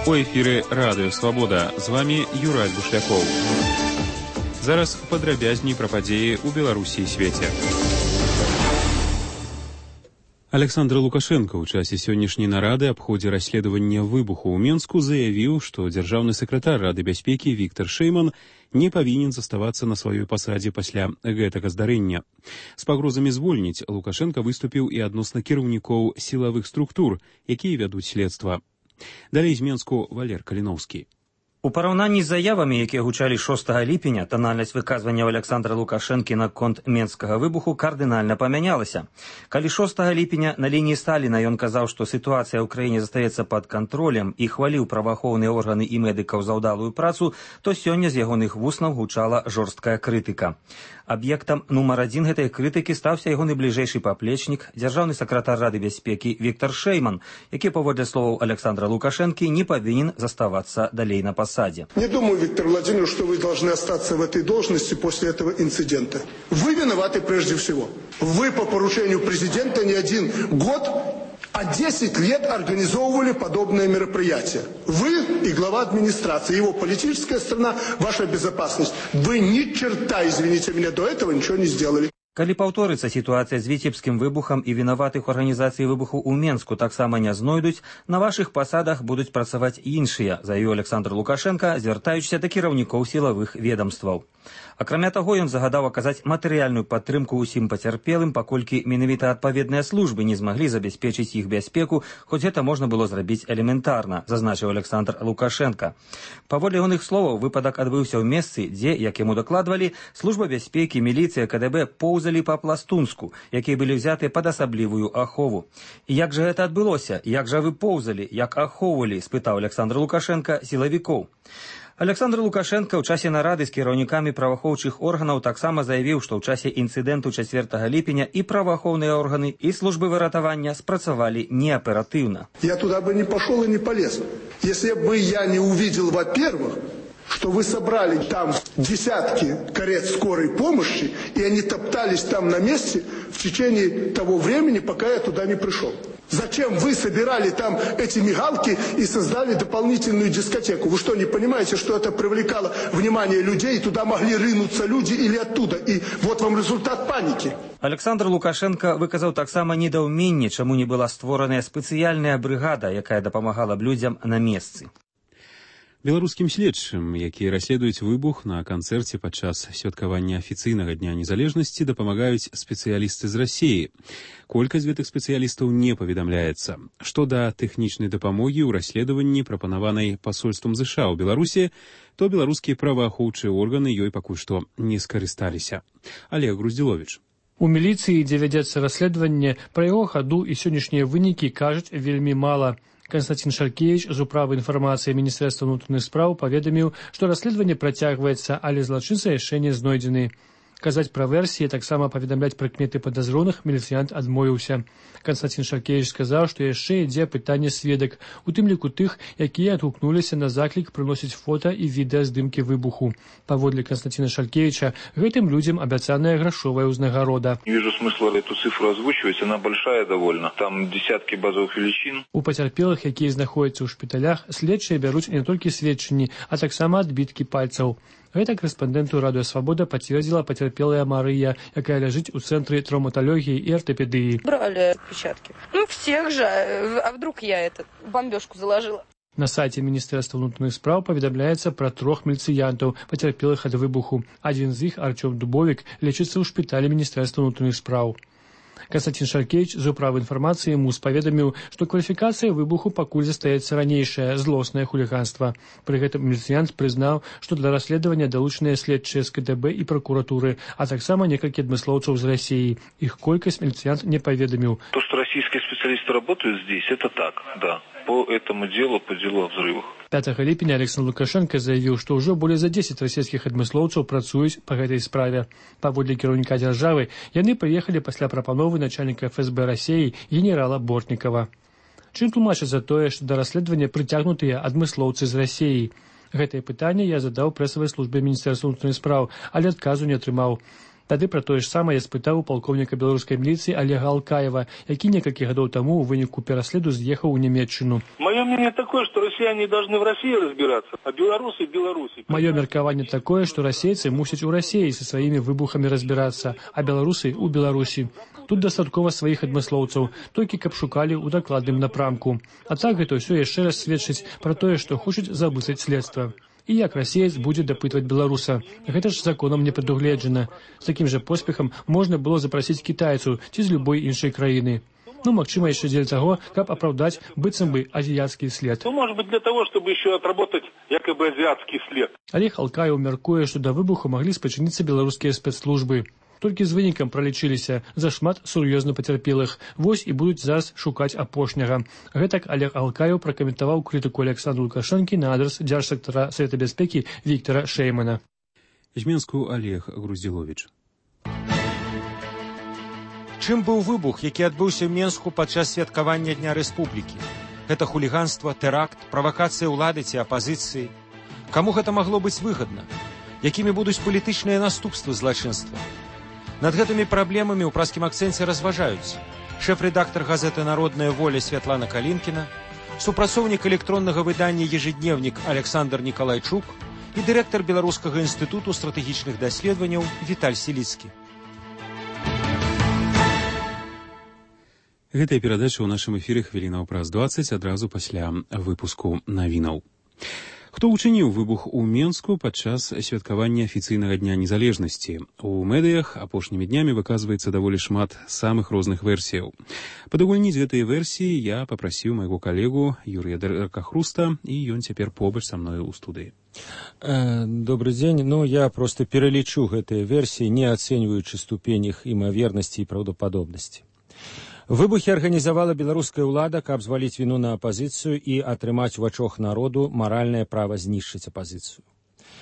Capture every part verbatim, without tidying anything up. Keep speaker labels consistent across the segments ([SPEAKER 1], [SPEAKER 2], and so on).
[SPEAKER 1] У эфіры Радыё Свабода. З вами Юрай Бушлякоў. Зараз падрабязней пра падзеі ў Беларусі і свеце. Александр Лукашенко ў часе сённяшняй нарады аб ходзе расследавання выбуху ў Менску заявіў, што дзяржаўны сакратар Рады бяспекі Віктор Шэйман не павінен заставацца на сваёй пасадзе пасля гэтага здарэння. З пагрозамі звольніць Лукашенко выступіў і адносна кіраўнікоў сілавых структур, якія вядуць следства. Далей з Менску Валер Каліноўскі.
[SPEAKER 2] У параўнанні з заявамі, якія гучалі шостага ліпеня, тональнасць выказванняў Александра Лукашэнкі наконт менскага выбуху кардынальна памянялася. Калі шостага ліпеня на лініі Сталіна ён казаў, што сітуацыя ў краіне застаецца пад кантролем і хваліў праваахоўныя органы і медыкаў за ўдалую працу, то сёння з ягоных вуснаў гучала жорсткая крытыка. Аб'ектам нумар адзін гэтай крытыкі стаўся ягоны бліжэйшы паплечнік, дзяржаўны сакратар Рады бяспекі Віктор Шэйман, які, паводле словаў Александра Лукашэнкі, не павінен заставацца далей на посаде.
[SPEAKER 3] Не думаю, Виктор Владимирович, что вы должны остаться в этой должности после этого инцидента. Вы виноваты прежде всего. Вы по поручению президента не один год, а десять лет организовывали подобное мероприятие. Вы и глава администрации, его политическая сторона, ваша безопасность. Вы ни черта, извините меня, до этого ничего не сделали.
[SPEAKER 2] Калі паўторыцца сітуацыя з віцебскім выбухам і вінаватых у арганізацыі выбуху ў Менску таксама не знойдуць, на вашых пасадах будуць працаваць іншыя, заявіў Александр Лукашенко, звяртаючыся да кіраўнікоў сілавых ведамстваў. Акрамя таго, ён загадаў аказаць матэрыяльную падтрымку ўсім пацярпелым, паколькі менавіта адпаведныя службы не змаглі забяспечыць іх бяспеку, хоць гэта можна было зрабіць элементарна, зазначыў Александр Лукашенко. Паводле ягоных словаў, выпадак адбыўся ў месцы, дзе, як яму дакладвалі, служба бяспекі, міліцыя, КДБ поўзалі па-пластунску, якія былі ўзяты пад асаблівую ахову. І як жа гэта адбылося? Як жа вы поўзалі? Як ахоўвалі? Спытаў Александр Лукашенко сілавікоў. Александр Лукашенко ў часе нарады з кіраўнікамі праваахоўчых органаў таксама заявіў, што ў часе інцыдэнту чацвёртага ліпеня і праваахоўныя органы, і службы выратавання спрацавалі неаператыўна.
[SPEAKER 3] Я туда бы не пошел и не полез, если бы я не увидел, во-первых, что вы собрали там десятки карет скорой помощи, и они топтались там на месте в течение того времени, пока я туда не пришел. Зачем вы собирали там эти мигалки и создали дополнительную дискотеку? Вы что, не понимаете, что это привлекало внимание людей, и туда могли рынуться люди или оттуда? И вот вам результат паники.
[SPEAKER 2] Александр Лукашенко выказаў таксама недаўменне, чаму не была створаная спецыяльная брыгада, якая дапамагала б людзям на месцы.
[SPEAKER 1] Беларускім следчым, якія расследуюць выбух на канцэрце падчас святкавання афіцыйнага дня незалежнасці, дапамагаюць спецыялісты з Расіі. Колькасць гэтых спецыялістаў не паведамляецца. Што да тэхнічнай дапамогі ў расследаванні, прапанаванай пасольствам ЗША ў Беларусі, то беларускія праваахоўчыя органы ёй пакуль што не скарысталіся. Олег Груздзіловіч.
[SPEAKER 4] У міліцыі, дзе вядзецца расследаванне, пра яго хаду і сённяшнія вынікі кажуць вельмі мала. Константин Шаркевич з управы інфармацыі Міністэрства ўнутраных спраў паведаміў, што расследаванне працягваецца, але злачынцы яшчэ не знойдзены. Казаць пра версіі, таксама паведамляць прыкметы падазроных міліцыянт адмовіўся. Константин Шаркевич сказаў, што яшчэ ідзе пытанне сведак, у тым ліку тых, якія адгукнуліся на заклік прыносіць фота і відэаздымкі выбуху. Паводле Константина Шаркевича, гэтым людзям абяцаная грашовая ўзнагарода.
[SPEAKER 5] Не вижу смысла эту цифру озвучивать, она большая довольно. Там десятки базовых величин.
[SPEAKER 4] У пацярпелых, якія знаходзяцца ў шпіталях, следчыя бяруць не толькі сведчанні, а таксама адбіткі пальцаў. Гэта корэспандэнту Радыё Свабода пацвердзіла пацярпелая Марыя, якая ляжыць у цэнтры травматалогіі і ортопедыі.
[SPEAKER 6] Брали отпечатки. Ну, всех же. А вдруг я эту бомбежку заложила?
[SPEAKER 4] На сайце Міністэрства ўнутраных спраў паведамляецца пра трох міліцыянтаў, пацярпелых ад выбуху. Адзін з іх, Арчом Дубовік, лечыцца ў шпіталі Міністэрства ўнутраных спраў. Константин Шаркевич з управы інфармацыі МУС паведаміў, што кваліфікацыя выбуху пакуль застаецца ранейшае злоснае хуліганства. Пры гэтым міліцыянт прызнаў, што для расследавання далучаныя следчыя з КДБ і пракуратуры, а таксама некалькі адмыслоўцаў з Расіі. Іх колькасць міліцыянт не паведаміў.
[SPEAKER 5] То, что российские специалисты работают здесь, это так, да. По этому делу, по делу о взрывах.
[SPEAKER 4] пятага ліпеня Александр Лукашенко заявіў, што ўжо болей за дзесяць расійскіх адмыслоўцаў працуюць па гэтай справе. Паводле кіраўніка дзяржавы, яны прыехалі пасля прапановы начальніка эф эс бэ Расіі генерала Бортнікава. Чым тлумачыцца тое, што да расследавання прыцягнутыя адмыслоўцы з Расіі? Гэтае пытанне я задаў прэсавай службе Міністэрства ўнутраных спраў, але адказу не атрымаў. Тады пра тое ж самае я спытаў у палкоўніка беларускай міліцыі Олега Алкаева, які некалькі гадоў таму ў выніку пераследу з'ехаў у Нямецчыну.
[SPEAKER 5] Мое мнение такое, что россияне должны в России разбираться, а белорусы в Беларуси.
[SPEAKER 4] Маё меркаванне такое, што расейцы мусяць у Расіі са сваімі выбухамі разбірацца, а беларусы ў Беларусі. Тут дастаткова сваіх адмыслоўцаў, толькі каб шукалі ў дакладным напрамку. А так гэта ўсё яшчэ раз сведчыць пра тое, што хочуць заблытаць следства. І як расеец будзе дапытваць беларуса. Гэта ж законам не прадугледжана. З такім жа поспехам можна было запрасіць кітайцаў ці з любой іншай краіны. Ну, магчыма, яшчэ дзеля таго, каб апраўдаць быццам бы азіяцкі след.
[SPEAKER 5] Ну, может быть, для того, чтобы еще отработать якобы азиатский след.
[SPEAKER 4] Олег Алкаев мяркуе, што да выбуху маглі спачыніцца беларускія спецслужбы. Толькі з вынікам пралічыліся зашмат сур'ёзна пацярпелых. Вось і будуць зараз шукаць апошняга. Гэтак Олег Алкаев пракаментаваў крытыку Александра Лукашэнкі на адрас дзяржсектара Савета бяспекі Віктора Шэймана.
[SPEAKER 1] З Менску Олег Груздзіловіч.
[SPEAKER 7] Чым быў выбух, які адбыўся ў Менску падчас святкавання Дня Рэспублікі? Гэта хуліганства, тэракт, правакацыя ўлады ці апазіцыі? Каму гэта магло быць выгадна? Якімі будуць палітычныя наступствы злачынства? Над гэтымі праблемамі ў празкім акцэнце разважаюць шэф-рэдактар газеты «Народная воля» Святлана Калінкіна, супрацоўнік электроннага выдання «Ежедневнік» Александр Николайчук і дырэктар Беларускага інстытуту стратэгічных даследаванняў Віталь Селіцкі.
[SPEAKER 1] Гэтая перадача ў нашым эфіры хвілінаў праз дваццаць адразу пасля выпуску навінаў. Хто ўчыніў выбух у Менску падчас святкавання афіцыйнага дня незалежнасці? У медыях апошнімі днямі выказваецца даволі шмат самых розных версіяў. Падагульніць гэтыя версіі я папрасіў майго калегу Юрія Дракахруста, і ён цяпер побач са мною ў студыі.
[SPEAKER 7] Добрый дзень. Ну, я просто пералічу гэтыя версіі, не ацэньваючы ступень іх імавернасці і праўдападобнасці. Выбухі арганізавала беларуская ўлада, каб зваліць віну на апазіцыю і атрымаць у вачах народу маральнае права знішчыць апазіцыю.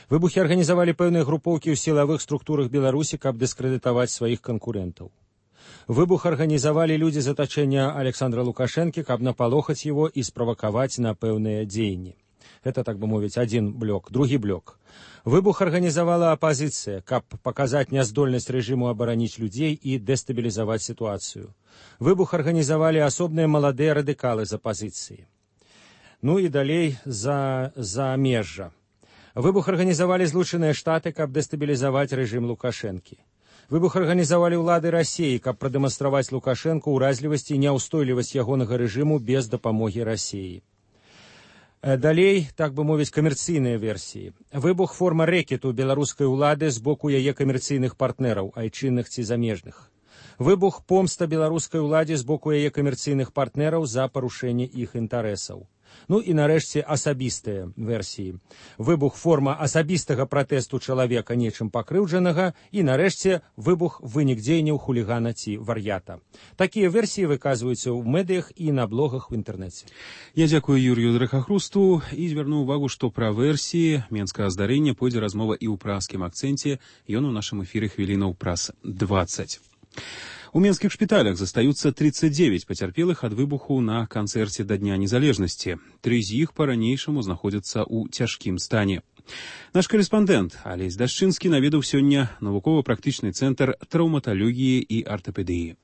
[SPEAKER 7] Выбухі арганізавалі пэўныя групоўкі ў сілавых структурах Беларусі, каб дыскрэдытаваць сваіх канкурэнтаў. Выбух арганізавалі людзі з атачэння Александра Лукашэнкі, каб напалохаць яго і справакаваць на пэўныя дзеянні. Гэта, так бы мовіць, адзін блок. Другі блок. Выбух арганізавала апазіцыя, каб паказаць няздольнасць рэжыму абараніць людзей і дэстабілізаваць сітуацыю. Выбух арганізавалі асобныя маладыя радыкалы з апазіцыі. Ну і далей за, за межжа. Выбух арганізавалі Злучаныя Штаты, каб дэстабілізаваць рэжым Лукашэнкі. Выбух арганізавалі ўлады Расіі, каб прадэманстраваць Лукашэнку ўразлівасць і няўстойлівасць ягонага рэжыму без дапамогі Расіі. Далей, так бы мовіць, камерцыйныя версіі. Выбух форма рэкету беларускай улады з боку яе камерцыйных партнераў, айчынных ці замежных. Выбух помста беларускай уладзе з боку яе камерцыйных партнераў за парушэнне іх інтарэсаў. Ну і нарэшце асабістыя версіі. Выбух форма асабістага пратэсту чалавека нечым пакрыўджанага і нарэшце выбух вынік дзеянняў хулігана ці вар'ята. Такія версіі выказваюцца ў медыях і на блогах у інтэрнэце.
[SPEAKER 1] Я дзякую Юрію Дракахрусту і звярну ўвагу, што пра версіі менскага здарэння пойдзе размова і ў празкім акцэнце. Ён у нашым эфіры хвілінаў праз дваццаць. У менскіх шпіталях застаюцца тридцать девять пацярпелых ад выбуху на канцэрце да Дня незалежнасці. Тры з іх па-ранейшаму знаходзяцца ў цяжкім стане. Наш корэспандэнт Алесь Дашчынскі наведаў сёння навукова-практычны цэнтр траўматалогіі і артапедыі.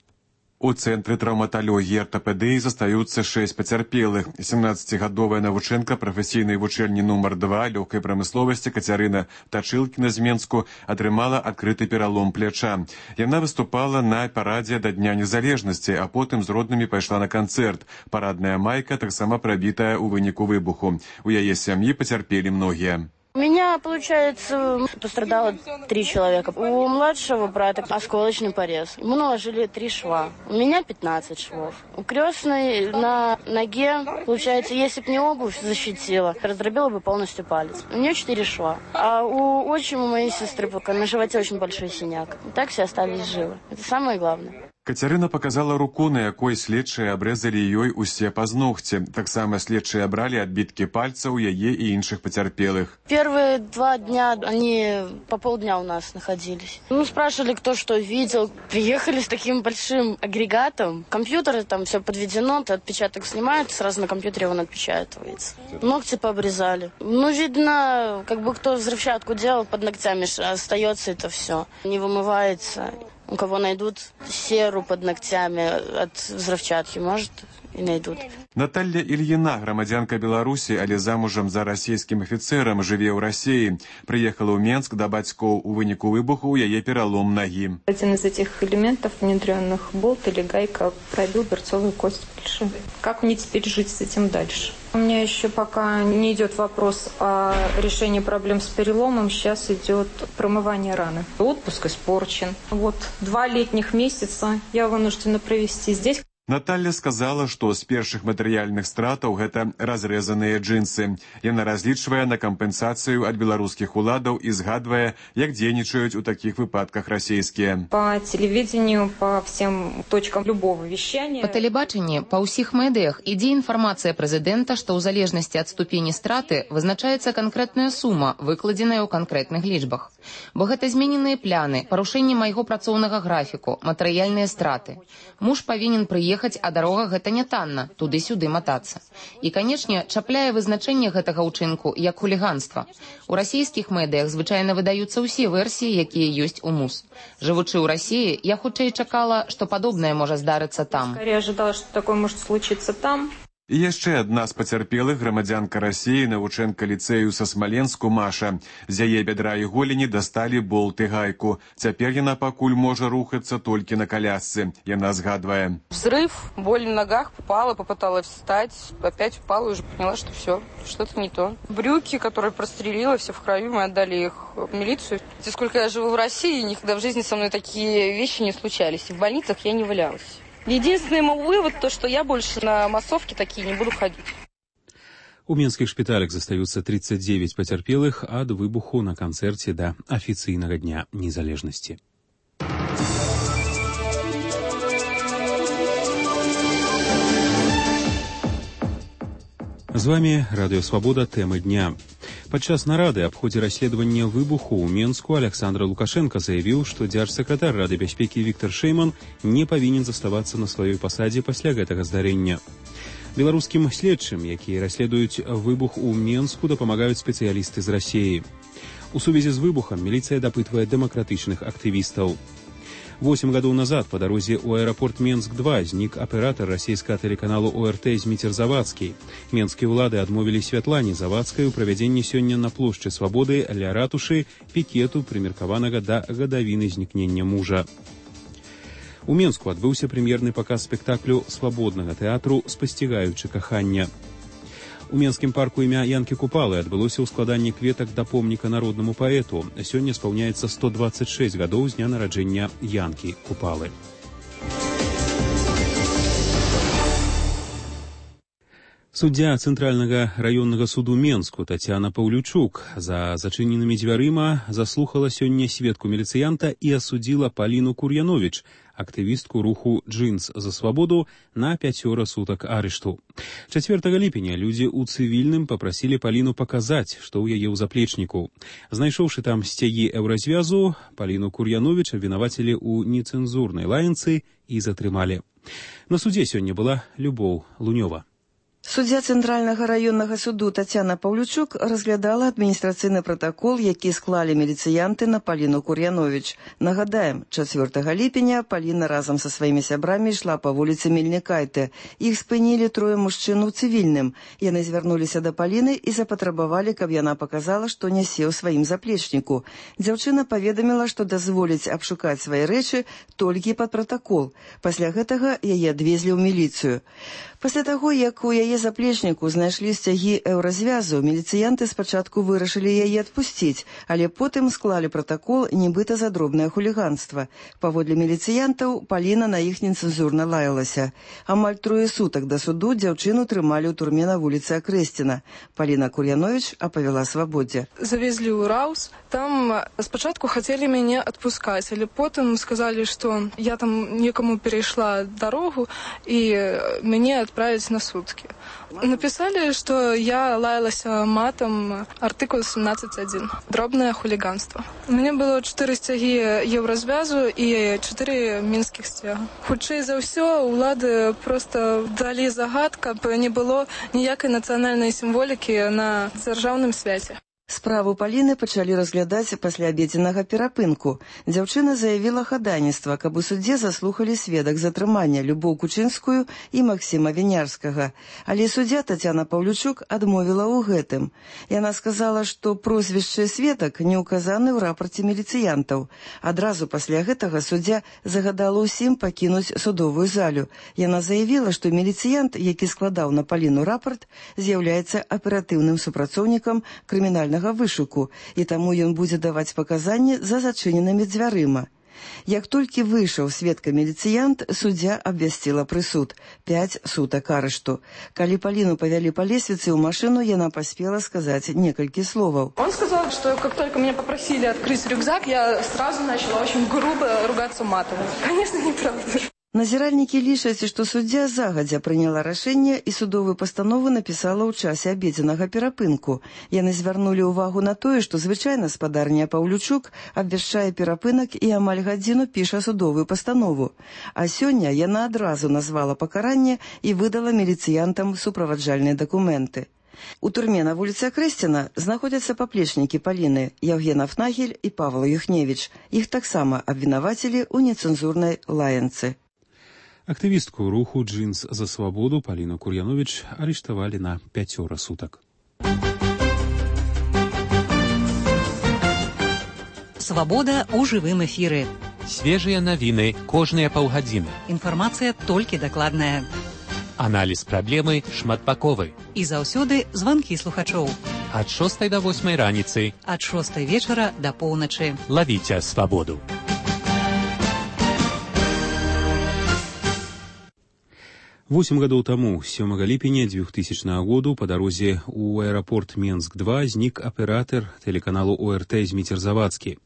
[SPEAKER 8] У цэнтры траўматалогіі і артапедыі застаюцца шэсць пацярпелых. сямнаццацігадовая навучэнка прафесійнай вучэльні нумар два лёгкай прамысловасці Кацярына Тачылкіна з Менску атрымала адкрыты пералом пляча. Яна выступала на парадзе да Дня незалежнасці, а потым з роднымі пайшла на канцэрт. Парадная майка таксама прабітая ў выніку выбуху. У яе сям'і пацярпелі многія.
[SPEAKER 9] У меня, получается, пострадало три человека. У младшего брата осколочный порез. Ему наложили три шва. У меня пятнадцать швов. У крестной на ноге, получается, если бы не обувь защитила, раздробила бы полностью палец. У нее четыре шва. А у отчима моей сестры пока на животе очень большой синяк. Так все остались живы. Это самое главное.
[SPEAKER 8] Кацярына показала руку, на якой следчыя абрэзалі ёй усе пазногці. Таксама следчыя бралі адбіткі пальцаў яе і іншых пацярпелых.
[SPEAKER 9] Первые два дня они по полдня у нас находились. Ну, спрашивали, кто что видел. Приехали с таким большим агрегатом. Компьютер, там все подведено, отпечаток снимают, сразу на компьютере он отпечатывается. Ногти пообрезали. Ну, видно, как бы кто взрывчатку делал, под ногтями остается это все. Не вымывается. У кого найдут серу под ногтями от взрывчатки, может, и найдут.
[SPEAKER 8] Наталья Ильина, громадянка Беларуси, але замужам за расійскім афіцерам, жыве ў Расіі. Приехала ў Менск да бацькоў. У выніку выбуху у яе пералом ноги.
[SPEAKER 10] Один из этих элементов внедренных, болт или гайка, пробил берцовую кость большую. Как мне теперь жить с этим дальше? У меня еще пока не идет вопрос о решении проблем с переломом. Сейчас идет промывание раны. Отпуск испорчен. Вот два летних месяца я вынуждена провести здесь.
[SPEAKER 8] Наталья сказала, што з першых матэрыяльных стратаў гэта разрэзаныя джинсы. Яна разлічвае на кампенсацыю ад беларускіх уладаў і згадвае, як дзейнічаюць у такіх выпадках расійскія.
[SPEAKER 10] По телевидению, по всем точкам любого вещания.
[SPEAKER 11] По тэлебачанні, па ўсіх медыях ідзе інфармацыя прэзідэнта, што ў залежнасці ад ступені страты вызначаецца канкрэтная сума, выкладзеная ў канкрэтных лічбах. Бо гэта змененыя пляны, парушэнне майго працоўнага графіку, матэрыяльныя страты. Муж павінен прыехаць, а дарога гэта не танна, туды-сюды матацца. І, канечне, чапляе вызначэнне гэтага ўчынку як хуліганства. У расійскіх медыях звычайна выдаюцца ўсе версіі, якія ёсць у МУС. Жывучы ў Расіі, я хутчэй чакала, што падобнае можа здарыцца там.
[SPEAKER 10] Я ожидала, что такое может случиться там.
[SPEAKER 8] І яшчэ адна з пацярпелых, грамадзянка Расіі, навучэнка ліцэю са Смаленску Маша. З яе бядра і голені дасталі болт і гайку. Цяпер яна пакуль можа рухацца толькі на колясцы. Яна згадвае.
[SPEAKER 6] Взрыв, боль в ногах, попала, попыталась встать, опять упала и уже поняла, что все, что-то не то. Брюки, которые прострелила, все в крови, мы отдали их в милицию. Сколько я живу в России, никогда в жизни со мной такие вещи не случались. В больницах я не валялась. Единственный мой вывод, то, что я больше на массовки такие не буду ходить.
[SPEAKER 1] У менскіх шпіталях застаюцца тридцать девять пацярпелых ад выбуху на канцэрце да афіцыйнага дня незалежнасці. З вами Радыё Свабода, тэмы дня. Падчас нарады аб ходзе расследавання выбуху ў Менску Александр Лукашенко заявіў, што дзяржсакратар Рады бяспекі Віктор Шэйман не павінен заставацца на сваёй пасадзе пасля гэтага здарэння. Беларускім следчым, якія расследуюць выбух у Менску, дапамагаюць спецыялісты з Расіі. У сувязі з выбухам міліцыя дапытвае дэмакратычных актывістаў. Восемь гадоў назад по дарозе ў аэрапорт Менск-два знік аператор расійскага тэлеканалу О Р Т Зміцер Завадскі. Менскія ўлады адмовілі Святлане Завадскай у правядзенні сёння на плошчы Свабоды ля ратушы пікету, прымеркаванага да гадавіны знікнення мужа. У Менску адбыўся прэм'ерны паказ спектаклю свабоднага тэатру «Спасцігаючы кахання». У Менскім парку імя Янкі Купалы адбылося ў складанні кветак да помніка народнаму паэту. Сёння спаўняецца сто двадцать шесть гадоў з дня нараджэння Янкі Купалы. Суддзя Цэнтральнага раённага суду Менску Тацяна Паўлючук за зачыненымі дзвярыма заслухала сёння сведку міліцыянта і асудзіла Паліну Кур'яновіч, актывістку руху «Джинс за свабоду», на пяцёра сутак арышту. чацвёртага ліпеня людзі ў цывільным папрасілі Паліну паказаць, што ў яе ў заплечніку. Знайшоўшы там сцягі еўразвязу, Паліну Кур'яновіч абвінавацілі ў нецэнзурнай лаянцы і затрымалі. На судзе сёння была Любоў Лунёва.
[SPEAKER 12] Суддзя Цэнтральнага раённага суду Тацяна Паўлючук разглядала адміністрацыйны пратакол, які склалі міліцыянты на Паліну Кур'яновіч. Нагадаем, чацвёртага ліпеня Паліна разам са сваімі сябрамі ішла па вуліцы Мельнікайте. Іх спынілі трое мужчын у цывільным. Яны звярнуліся да Паліны і запатрабавалі, каб яна паказала, што нясе ў сваім заплечніку. Дзяўчына паведаміла, што дазволіць абшукаць свае рэчы толькі пад пратакол. Пасля гэтага яе адвезлі ў міліцыю. Пасля таго, як у яе яе заплечніку знайшлі сцягі еўразвязу, міліцыянты спачатку вырашылі яе адпусціць, але потым склалі пратакол нібыта за дробнае хуліганства. Паводле міліцыянтаў, Паліна на іх нецэнзурна лаялася. Амаль трое сутак да суду дзяўчыну трымалі ў турме на вуліцы Акрэсціна. Паліна Кур'яновіч апавяла «Свабодзе».
[SPEAKER 13] Завезли ў Раус. Там спачатку хацелі мяне адпускаць, але потым сказалі, што я там некаму перайшла дарогу і мяне адправяць на суткі. Написали, что я лаялася матом, артикул семнадцать один. Дробное хулиганство. У меня было чотири стяги Єврозв'язу і чотири мінських стяги. Хутчэй за ўсё, улады просто далі загад, каб не было ніякай нацыянальнай сімволікі на дзяржаўным свяце.
[SPEAKER 12] Справу Паліны пачалі разглядаць пасля абедзенага перапынку. Дзяўчына заявіла хадайніцтва, каб у судзе заслухалі сведак затрымання Любоў Кучынскую і Максіма Вінярскага. Але суддзя Тацяна Паўлючук адмовіла ў гэтым. Яна сказала, што прозвішчы сведак не ўказаны ў рапарце міліцыянтаў. Адразу пасля гэтага суддзя загадала ўсім пакінуць судовую залю. Яна заявіла, што міліцыянт, які складаў на Паліну рапарт, з'яўляецца аператыўным супрацоўнікам крымінальнага вышуку, і таму ён будзе даваць паказанні за зачыненымі дзвярыма. Як толькі выйшаў сведка-міліцыянт, суддзя абвясціла прысуд. Пяць сутак арышту. Калі Паліну павялі па лесвіцы ў машыну, яна паспела сказаць некалькі словаў.
[SPEAKER 13] Он сказал, что как только меня попросили открыть рюкзак, я сразу начала очень грубо ругаться матом. Конечно, неправда.
[SPEAKER 12] Назіральнікі лічаць, што суддзя загадзя прыняла рашэнне і судовую пастанову напісала ў часе абедзенага перапынку. Яны звярнулі ўвагу на тое, што звычайна спадарня Паўлючук абвяшчае перапынак і амаль гадзіну піша судовую пастанову. А сёння яна адразу назвала пакаранне і выдала міліцыянтам суправаджальныя дакументы. У турме на вуліцы Акрэсціна знаходзяцца паплечнікі Паліны, Яўген Афнагель і Павла Юхневіч. Іх таксама абвінавацілі ў нецэнзурнай лаянцы.
[SPEAKER 1] Актывістку руху «Джинс за свободу» Паліну Кур'яновіч арыштавалі на пяцёра сутак.
[SPEAKER 14] Свабода ў жывым эфіры.
[SPEAKER 15] Свежыя навіны кожныя паўгадзіны.
[SPEAKER 14] Інфармацыя толькі дакладная.
[SPEAKER 15] Аналіз праблемы шматбаковы.
[SPEAKER 14] І заўсёды званкі слухачоў.
[SPEAKER 15] Ад шостай да восьмай раніцы.
[SPEAKER 14] Ад шостай вечара да поўначы.
[SPEAKER 15] Лавіце свабоду.
[SPEAKER 1] Восемь гадоў таму, сёмага ліпеня двухтысячнага году, па дарозе ў аэрапорт Менск два знік аператар тэлеканалу О Р Т Зміцер Завадскі.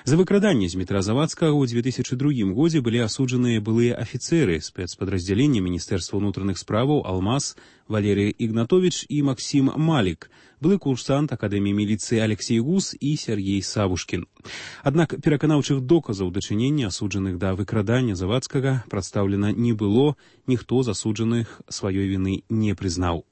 [SPEAKER 1] За выкраданне Змітра Завадскага ў две тысячы другім годзе былі асуджаныя былыя афіцэры спецпадраздзялення Міністэрства ўнутраных справаў Алмаз, Валерий Игнатович і Максим Малік, былы курсант Акадэміі міліцыі Алексей Гус і Сергей Савушкін. Аднак пераканаўчых доказаў дачынення асуджаных да выкрадання Завадскага прадстаўлена не было, ніхто з асуджаных сваёй віны не прызнаў.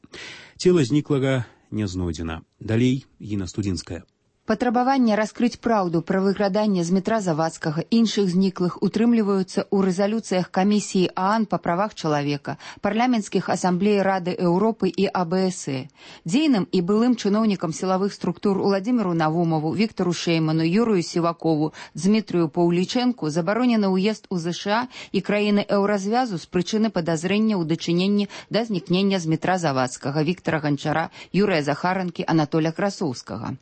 [SPEAKER 1] Цела зніклага не знойдзена. Далей Гіна Студзінская.
[SPEAKER 16] Патрабаванне раскрыць праўду пра выкраданне Змітра Завадскага іншых зніклых утрымліваюцца ў рэзалюцыях камісіі ААН па правах чалавека, парламенцкіх асамблей Рады Еўропы і А Б С Э. Дзейным і былым чыноўнікам сілавых структур Уладзіміру Навумову, Віктору Шейману, Юрыю Сівакову, Дзмітрыю Паўлічэнку забаронены ўезд у З Ш А і краіны еўразвязу з прычыны падазрэння ў дачыненні да знікнення Змітра Завадскага, Віктара Ганчара, Юрыя Захаранкі, Анатоля Красоўскага.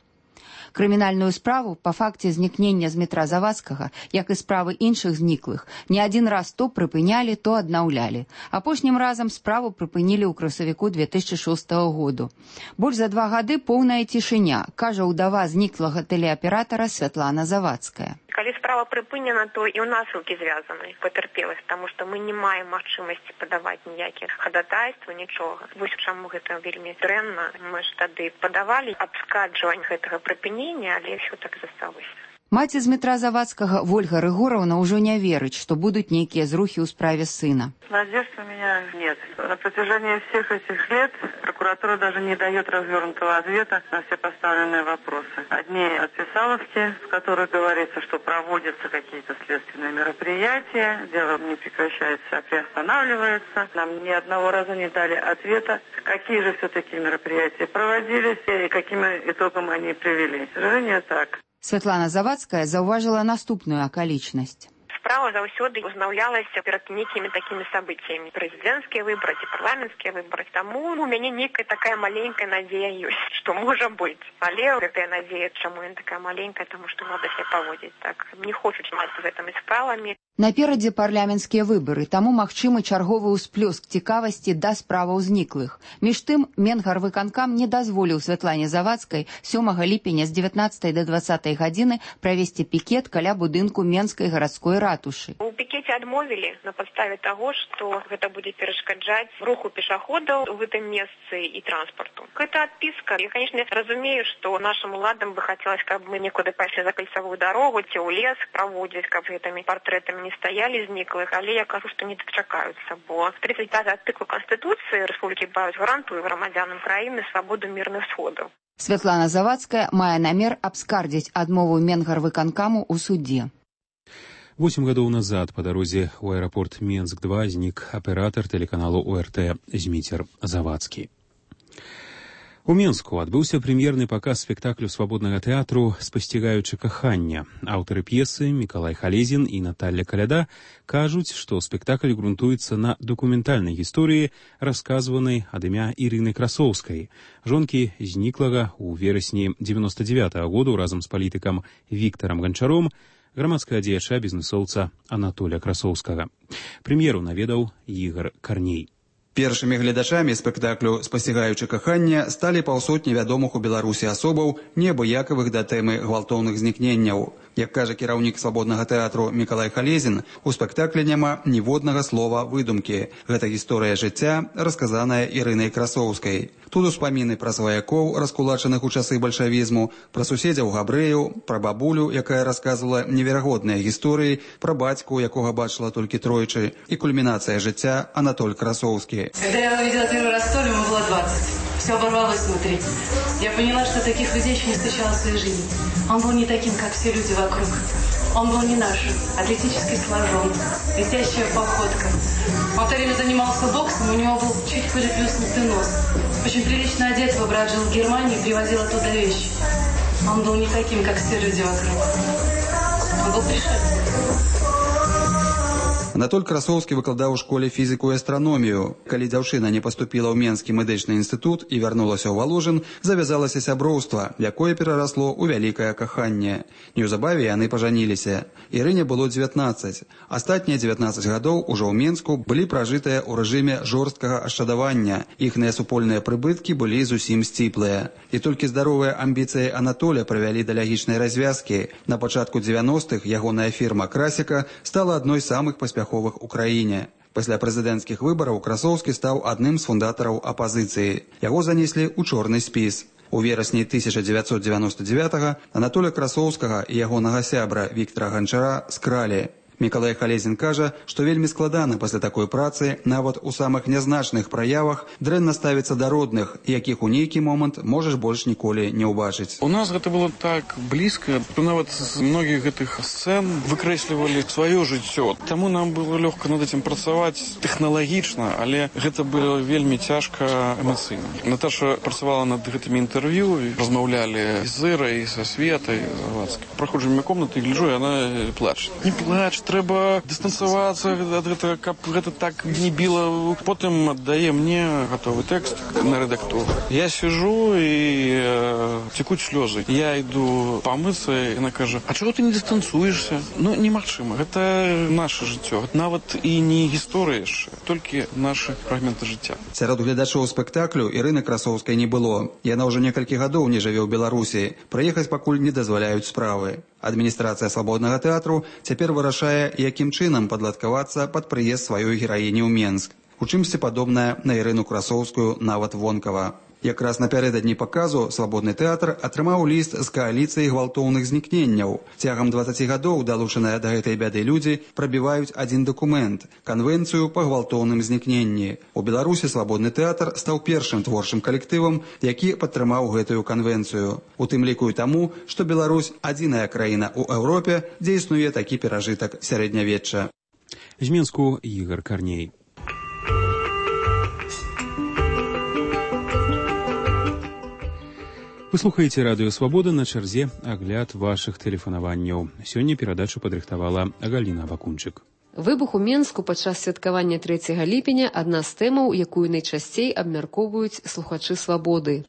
[SPEAKER 16] Крымінальную справу па факце знікнення Змітра Завадскага, як і справы іншых зніклых, не адзін раз то прыпынялі, то аднаўлялі. Апошнім разам справу прыпынілі ў красавіку две тысячы шостага году. Больш за два гады поўная цішыня, кажа ўдава зніклага тэлеаператара Святлана Завадская.
[SPEAKER 17] Калі справа прыпынена, то і ў нас рукі звязаны, пацярпелых, таму што мы не маем магчымасці падаваць ніякіх хадатайстваў, нічога. Вось чаму гэта вельмі дрэнна. Мы ж тады падавалі абскарджванне гэтага прыпынення, але ўсё так засталося.
[SPEAKER 16] Маці Змітра Завадскага Вольга Рыгораўна ўжо не верыць, што будуць нейкія зрухі ў справе сына.
[SPEAKER 18] Надежд у меня нет. На протяжении всех этих лет прокуратура даже не дает развернутого ответа на все поставленные вопросы. Одни отписаловки, в которых говорится, что проводятся какие-то следственные мероприятия, дело не прекращается, а приостанавливается. Нам ни одного раза не дали ответа, какие же все-таки мероприятия проводились и каким итогом они привели. К сожалению, так.
[SPEAKER 16] Святлана Завадская заўважыла наступную акалічнасць.
[SPEAKER 17] справа заўсёды узнаўлялася перад некімі такімі событиями. Прэзідэнцкія выборы ці парламенцкія выборы. Таму у мяне некая такая маленькая надзея ёсць, што можа быць. Але гэтая надзея, чаму яна такая маленькая, таму што надо себя паводзіць так. Не хочуць мацца гэтымі справамі.
[SPEAKER 16] Наперадзе парламенцкія выбары, таму магчымы чарговы ўсплёск цікавасці да справаў зніклых. Між тым, Менгарвыканкам не дазволіў Святлане Завадскай сёмага ліпеня з дзевятнаццатай да дваццатай гадзіны правесці пікет каля будынку Менскай гарадской ратушы.
[SPEAKER 17] У пікеце адмовілі на падставе таго, што гэта будзе перашкаджаць руху пешаходаў у гэтым месцы і транспарту. Гэта адпіска. Я, конечно, разумею, што нашым уладам бы хацелось, каб мы некуды пайшлі за кальцавую дарогу ці ў лес праводзіць, каб гэтымі партрэтамі не стаялі зніклых, але я кажу, што не дачакаюцца, бо тридцать пятый артыкул Конституцыі Рэспублікі Беларусь гарантуе грамадзянам краіны свабоду мірных сходаў.
[SPEAKER 16] Святлана Завадская мае намер абскардзіць адмову Менгарвыканкаму ў судзе.
[SPEAKER 1] Восемь гадоў назад па дарозе ў аэрапорт Менск два знік аператар тэлеканалу О Р Т Зміцер Завадскі. У Менску адбыўся прэм'ерны паказ спектаклю свабоднага тэатру «Спасцігаючы кахання». Аўтары п'есы Мікалай Халезін і Наталля Каляда кажуць, што спектакль грунтуецца на дакументальнай гісторыі, расказванай ад імя Ірыны Красоўскай, жонкі зніклага ў верасні дзевяноста дзевятага году разам з палітыкам Віктарам Ганчаром, грамадскага дзеяча бізнесоўца Анатоля Красоўскага. Прэм'еру наведаў Ігар Карней.
[SPEAKER 19] Першымі гледачамі спектаклю «Спасцігаючы кахання» сталі паўсотні вядомых у Беларусі асобаў, неабыякавых да тэмы гвалтоўных знікненняў. Як кажа кіраўнік свабоднага тэатру Мікалай Халезін, у спектаклі няма ніводнага слова выдумкі. Гэта гісторыя жыцця, расказаная Ірынай Красоўскай. Тут успаміны пра сваякоў, раскулачаных у часы бальшавізму, пра суседзяў габрэяў, пра бабулю, якая расказвала неверагодныя гісторыі, пра бацьку, якога бачыла толькі тройчы, і кульмінацыя жыцця Анатоль Красоўскі.
[SPEAKER 20] Когда я увидела первый раз Толю, ему было двадцать. Все оборвалось внутри. Я поняла, что таких людей еще не встречала в своей жизни. Он был не таким, как все люди вокруг. Он был не наш, атлетически сложен, летящая походка. Он все время занимался боксом, у него был чуть приплюснутый нос. Очень прилично одет, его брат жил в Германии, привозил оттуда вещи. Он был не таким, как все люди вокруг. Он был пришельцем.
[SPEAKER 19] Анатоль Красоўскі выкладаў у школе фізіку і астраномію. Калі дзяўчына не паступіла ў Менскі медычны інстытут і вярнулася ў Валужын, завязалася сяброўства, якое перарасло ў вялікае каханне. Неўзабаве яны пажаніліся. Ірыне было дзевятнаццаць. Астатнія дзевятнаццаць гадоў ужо ў Менску былі пражытыя ў рэжыме жорсткага ашчадавання. Іхныя супольныя прыбыткі былі зусім сціплыя. І толькі здаровыя амбіцыі Анатоля прывялі да лягічнай развязкі. На пачатку дзевяностых ягоная фірма «Красіка» стала адной з самых паспяховых у краіне. Пасля прэзідэнцкіх выбараў Красоўскі стаў адным з фундатараў апазіцыі. Яго занеслі ў чорны спіс. У верасні тысяча дзевяцьсот дзевяноста дзевятага Анатоля Красоўскага і ягонага сябра Віктара Ганчара скралі. Мікалай Халезін кажа, што вельмі складана пасля такой працы, нават у самых нязначных праявах, дрэнна ставіцца да родных, якіх у нейкі момант можаш больш ніколі не ўбачыць.
[SPEAKER 21] У нас гэта было так блізка, нават з многіх гэтых сцэн выкрэслівалі сваё жыццё. Таму нам было лёгка над этим працаваць тэхналагічна, але гэта было вельмі цяжка эмацыйна. Наташа працавала над гэтымі інтэрв'ю, размаўлялі з Ірай, са Светай Завадскай. Праходжу міма комнаты і гляджу, і яна плача. Не плач, трэба дыстанцавацца ад гэтага, каб гэта так не біла. Потым аддае мне гатовы тэкст на рэдактуру. Я сижу і э, цекуць слёзы. Я іду памыцца, і яна кажа: а чаго ты не дыстанцуешся? Ну, немагчыма. Гэта наша жыццё. Нават і не гісторыя яшчэ, толькі нашы фрагменты жыцця.
[SPEAKER 19] Сярод гледачоў спектаклю Ірыны Красоўскай не было. Яна ўжо некалькі гадоў не жыве ў Беларусі. Прыехаць пакуль не дазваляюць справы. Адміністрацыя свабоднага тэатру цяпер вырашае, якім чынам падладкавацца пад прыезд сваёй гераіні ў Менск. У чымсьці падобная на Ірыну Красоўскую нават вонкава. Якраз напярэдадні паказу свабодны тэатр атрымаў ліст з кааліцыі гвалтоўных знікненняў. Цягам дваццаці гадоў далучаныя да гэтай бяды людзі прабіваюць адзін дакумент – канвенцыю па гвалтоўным знікненні. У Беларусі свабодны тэатр стаў першым творчым калектывам, які падтрымаў гэтую канвенцыю. У тым ліку і таму, што Беларусь – адзіная краіна ў Еўропе, дзе існуе такі перажытак сярэднявечча.
[SPEAKER 1] З Менску Ігар Карней. Вы слухаеце радыё Свабода, на чарзе агляд вашых тэлефанаванняў. Сёння перадачу падрыхтавала Галіна Бакунчык.
[SPEAKER 3] Выбух у Менску падчас святкавання трэцяга ліпеня адна з тэмаў, якую найчасцей абмяркоўваюць слухачы Свабоды.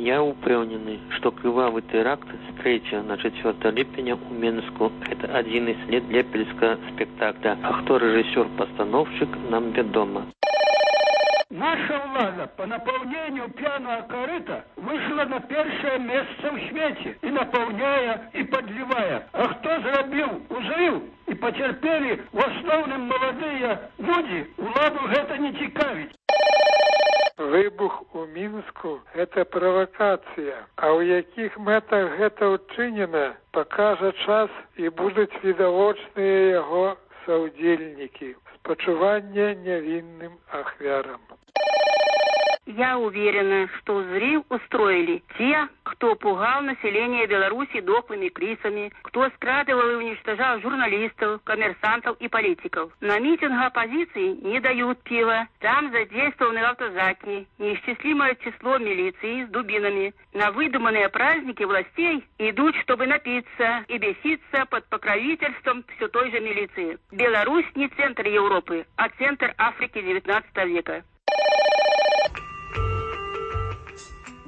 [SPEAKER 22] Я упэўнены, што крывавы тэракт з трэцяга на чацвёртае ліпеня ў Менску – гэта адзіны след лепельскага спектакля. А хто рэжысёр-пастаноўшчык, нам вядома.
[SPEAKER 23] Наша влада по наполнению пьяного корыта вышла на первое место в свете, и наполняя, и подливая. А кто зробил узрыв и потерпели в основном молодые люди, владу это не цікавить.
[SPEAKER 24] Выбух у Мінску – это провокация, а у якіх мэтах гэта учынена, пакажа час і будуць відавочныя яго саўдзельнікі. Спачуванне невинным ахвярам.
[SPEAKER 25] Я уверена, что взрыв устроили те, кто пугал население Беларуси дохлыми крысами, кто скрадывал и уничтожал журналистов, коммерсантов и политиков. На митингах оппозиции не дают пива, там задействованы автозаки, неисчислимое число милиции с дубинами. На выдуманные праздники властей идут, чтобы напиться и беситься под покровительством все той же милиции. Беларусь не центр Европы, а центр Африки девятнадцатого века.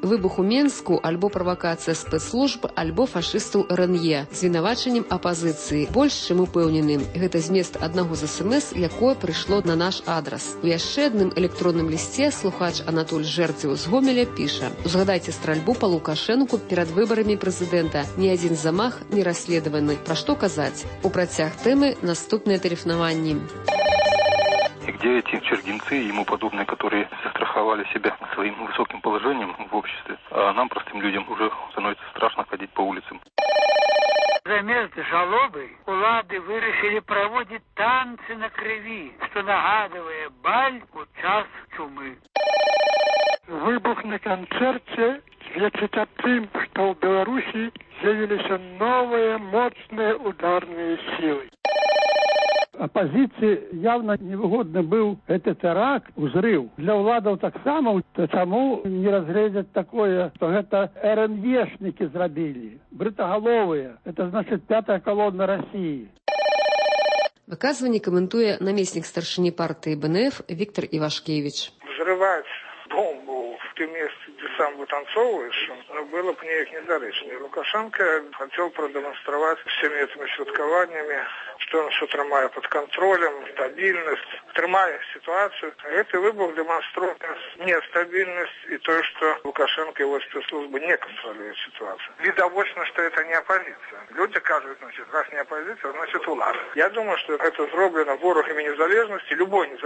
[SPEAKER 3] Выбух у Менску альбо правакацыя спецслужб, альбо фашыстаў эр эн е з вінавачаннем апазіцыі. Больш чым упэўнены, гэта змест аднаго з эс эм эс, якое прыйшло на наш адрас. У яшчэ адным электронным лісце слухач Анатоль Жэрдзеў з Гомеля піша: «Узгадайце стральбу па Лукашэнку перад выбарамі прэзідэнта. Ні адзін замах не расследаваны. Пра што казаць?» У працяг тэмы наступныя тэлефанаванні.
[SPEAKER 26] И где эти чергинцы и ему подобные, которые застраховали себя своим высоким положением в обществе, а нам, простым людям, уже становится страшно ходить по улицам.
[SPEAKER 23] Замест жалобы улады вырашили проводить танцы на крови, что нагадывая баль у час чумы.
[SPEAKER 24] Выбух на концерте сведчыць аб тым, што ў Беларусі з'явіліся новыя моцныя ударныя силы.
[SPEAKER 23] Оппозиции явно невыгодно был этот теракт, взрыв. Для владов так само, чему не разглядят такое, что это эр эн ешники зробили, бритоголовые. Это значит пятая колонна России.
[SPEAKER 3] Выказывание комментует наместник старшины партии бэ эн эф Виктор Ивашкевич.
[SPEAKER 27] Взрывать бомбу в том месте, где сам вытанцовываешь, было бы неяк недоречно. Лукашенко хотел продемонстрировать всеми этими святкованиями, что он все тримає под контролем, стабильность, тримає ситуацию. А этот выбух демонстрирует нестабильность и то, что Лукашенко и его спецслужбы не контролируют ситуацию. Видовочно, что это не оппозиция. Люди кажут, значит, раз не оппозиция, значит улада. Я думаю, что это сделано ворогами незалежности, любой незалежности.